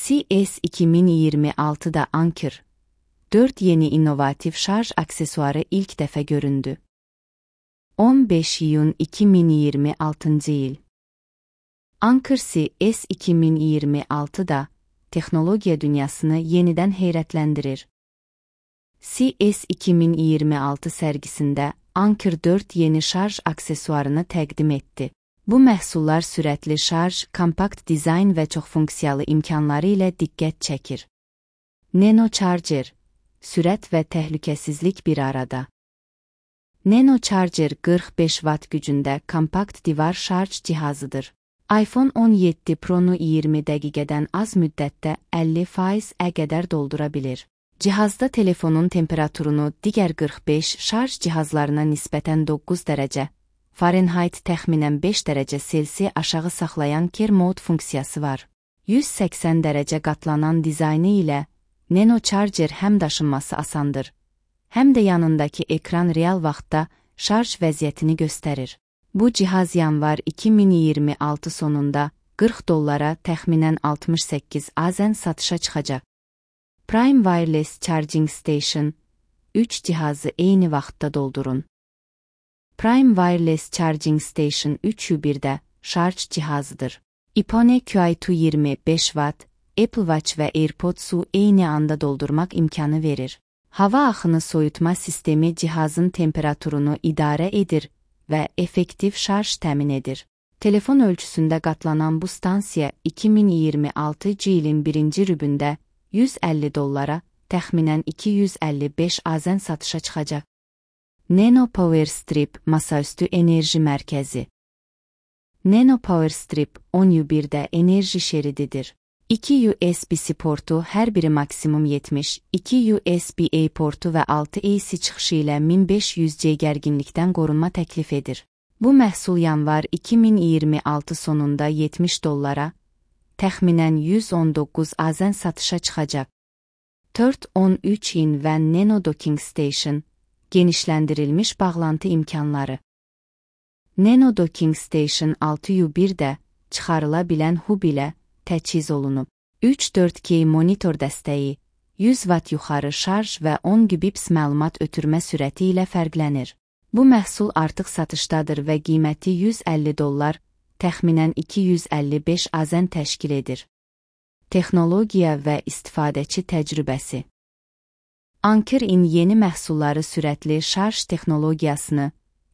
CES 2026'da Anker 4 yeni inovatif şarj aksesuarı ilk dəfə göründü. 15 iyun 2026 yıl. Anker CES 2026'da texnologiya dünyasını yenidən heyrətləndirir. CES 2026 sərgisində Anker 4 yeni şarj aksesuarını təqdim etdi. Bu məhsullar sürətli şarj, kompakt dizayn və çoxfunksiyalı imkanları ilə diqqət çəkir. Nano Charger, sürət və təhlükəsizlik bir arada. Nano Charger 45 Watt gücündə kompakt divar şarj cihazıdır. iPhone 17 Pro-nu 20 dəqiqədən az müddətdə 50%-ə qədər doldura bilir. Cihazda telefonun temperaturunu digər 45 şarj cihazlarına nisbətən 9 dərəcə Fahrenheit təxminən 5 dərəcə Selsi aşağı saxlayan Care Mode funksiyası var. 180 dərəcə qatlanan dizaynı ilə Nano Charger həm daşınması asandır, həm də yanındakı ekran real vaxtda şarj vəziyyətini göstərir. Bu cihaz yanvar 2026 sonunda $40 təxminən 68 AZN satışa çıxacaq. Prime Wireless Charging Station 3 cihazı eyni vaxtda doldurun. Prime Wireless Charging Station 3U1'də şarj cihazıdır. iPhone QI2 25 Watt, Apple Watch və AirPods'u eyni anda doldurmaq imkanı verir. Hava axını soyutma sistemi cihazın temperaturunu idarə edir və effektiv şarj təmin edir. Telefon ölçüsündə qatlanan bu stansiya 2026 ilin birinci rübündə $150, təxminən 255 AZN satışa çıxacaq. Nano Power Strip masaüstü enerji mərkəzi. Nano Power Strip 10U1'də enerji şerididir. 2 USB-C portu, hər biri maksimum 70, 2 USB-A portu və 6 AC çıxışı ilə 1500C gərginlikdən qorunma təklif edir. Bu məhsul yanvar 2026 sonunda $70, təxminən 119 AZN satışa çıxacaq. 4-13 və Nano Docking Station, genişləndirilmiş bağlantı imkanları. Nano Docking Station 6U1'də çıxarıla bilən hub ilə təchiz olunub. 3-4K monitor dəstəyi, 100 Watt yuxarı şarj və 10 Gbps məlumat ötürmə sürəti ilə fərqlənir. Bu məhsul artıq satışdadır və qiyməti $150, təxminən 255 AZN təşkil edir. Texnologiya və istifadəçi təcrübəsi. Anker-in yeni məhsulları sürətli şarj texnologiyasını,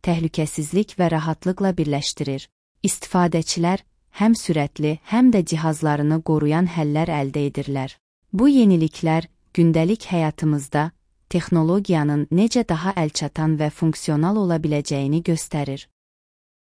təhlükəsizlik və rahatlıqla birləşdirir. İstifadəçilər həm sürətli, həm də cihazlarını qoruyan həllər əldə edirlər. Bu yeniliklər gündəlik həyatımızda texnologiyanın necə daha əlçatan və funksional ola biləcəyini göstərir.